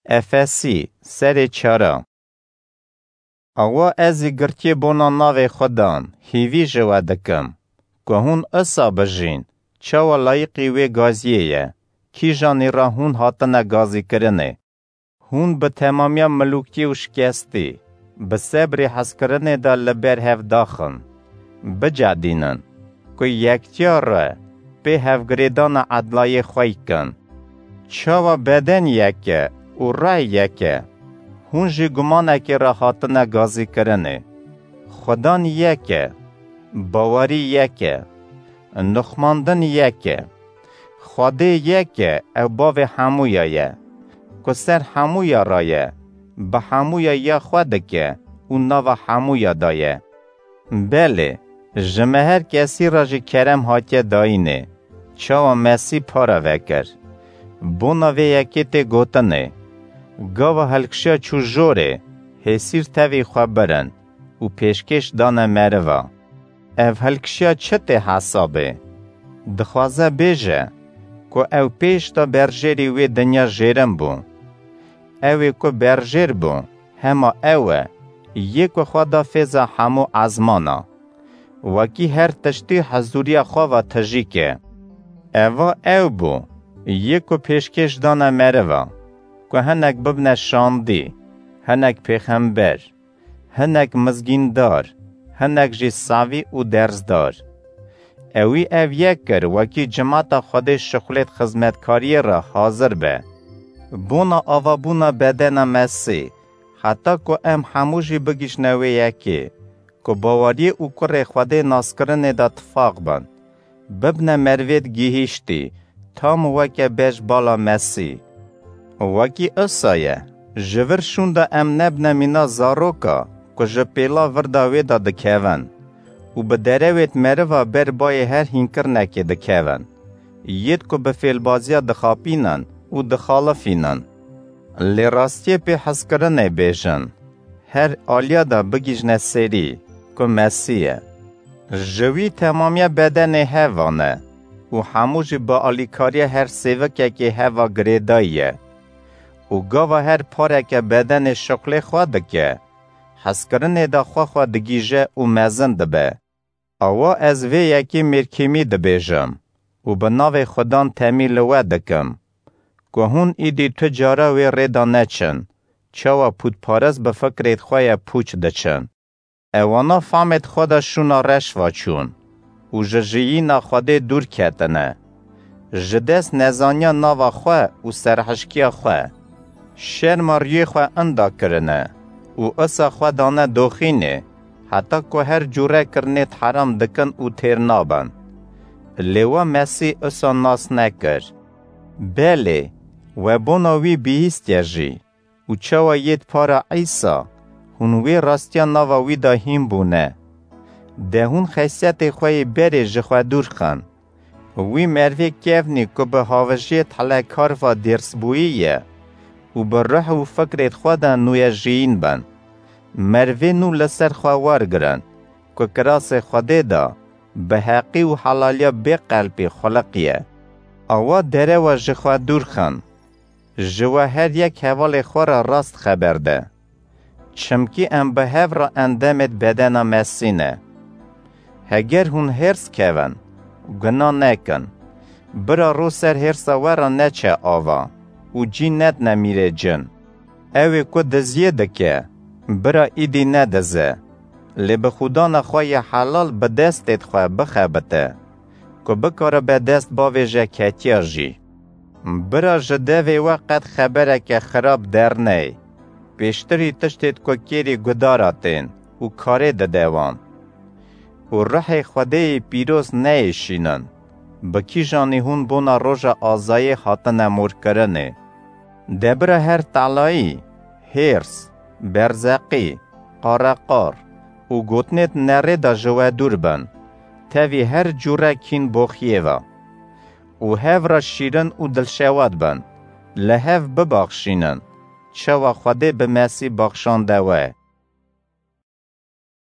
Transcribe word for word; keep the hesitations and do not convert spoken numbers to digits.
Efesî, serê çara. Awa ez ê girtiyê bona navê Xudan hîvî ji we dikim, ku hûn isa bijîn, çawa layiqî wê gaziyê ye, kîjanî re hûn hatine gazîkirinê. Hûn bi temamiya milûkî û şikestî, bi sebrê hezkirinê de li ber hev daxin. Bicedînin, ku yektiya re pê hevgirêdana edlayê xwe kin. Çawa beden yek e û rey yek e, hûn jî gumanekê re hatine gazîkirinê. Xudan yek e, bawerî yek e, nixmandin yek e. Xwedê yek e, ew bavê hemûya ye, ku ser hemûya re ye, bi hemûya ya xwe dike û nava hemûya de ye. Belê, ji me her kesî re jî kerem hatiye dayînê, çawa Mesîh para vekir. Bona vê yekê tê gotinê, gava hilkişiya çû jorê, hêsîr tevî xwe birin û pêşkêş dane meriva. Ev hilkişiya çi tê hesabê? Dixwaze bêje, ku ew pêş de berjêrî wê dinya jêrin bû. Ew ê ku berjêr bû, hema ew e, yê ku xwe da fêza hemû ezmana. Wekî her tiştî hezûriya xwe ve tijî ke. Eva ew bû, yê ku pêşkêş dane meriva, ku hinek bibne şandî, hinek pêxember, hinek mizgîndar, hinek jî savî û derzdar. Ewî ev yek kir, wekî cimata Xwedê şixulêt xizmetkariyê re hazir be. Bona avabûna bedena Mesî, heta ku em hemû jî bigihîjne wê yekê, ku baweriyê û kurê Xwedê naskirinê de tifaq bin. Bibne merivêt gihîştî, tam weke beş bala Mesî. Wekî isa ye, ji vir şûnda em nebne mîna zaroka, ku ji pêla virda wê de dikevin û bi derewêt meriva ber bayê her hînkirinekê dikevin, yêt ku bi fêlbaziya dixapînin û dixalifînin. Lê rastiyê pê hezkirinê bêjin, her aliya de bigihîjne serî, ku Mesîh ye. Ji wî temamiya bedenê hev ane û hemû jî bi alîkariya her sêvikekê heva girêdayî ye. Û gava her pareke bedenê şixulê xwe dike, hezkirinê de xwe xwe digihîje û mezin dibe. Awa ez vê yekê mêrkêmî dibêjim û bi navê Xudan temî li we dikim, ku hûn îdî tu cara wê rê de neçin, çawa pûtparast bi fikrêt xwe ye pûç diçin. Ewana famêt xwe de şûna reş ve çûn û ji jiyîna Xwedê dûr ketine. Ji dest nezaniya nava xwe û serhişkiya xwe, şerma riyê xwe inda kirine û isa xwe dane doxînê, heta ku her cûre kirinêt heram dikin û têr nabin. Lê we Mesîh isa nas nekir. Belê, we bona wî bihîstiye jî. Û çawa yêt para Îsa, hûn wê rastiya nava wî de hîn bûne. De hûn xeysiyetê xwe yê berê ji xwe dûr xin. Wî mervê kevnî ku bi havijiyê telekar ve dêrsbûyî ye û bi ruh û fikrêt xwe de nûye jiyîn bin. Mervê nû li ser xwe wergirin, ku kirasê Xwedê de bi heqî û helaliya bê qelpî xuliqiye. Awa derewa ji xwe dûr xin. Ji we her yek hevalê xwe re rast xeber de. Çimkî em bi hev re endemêt bedena Mesî ne. Heger hûn hêrs kevin, guna nekin. Bira ro ser hêrsa we re neçe ava û cî nedne mîrê cin. Ew ê ku diziyê dike, bira îdî nedize. Lê bi xwedana xwe yê helal bi destêt xwe bixebite, ku bikaribe dest bavêje ketiya jî. Bira ji devê we qet xebereke xirab derney. Pêştirî tiştêt ku kêrî gudara tên û karê dide wan. Û ruhê Xwedêyê pîroz neyêşînin. Bi kîjanî hûn bona roja azayê hatine morkirinê. De bira her telayî, hêrs, berzeqî, qareqar û gotinêt nerê de ji we dûr bin. Tevî her cûre kîn boxiyê ve. Û hev re şîrin û dilşewat bin. Li hev bibaxşînin. Çawa Xwedê bi Mesî baxşande we.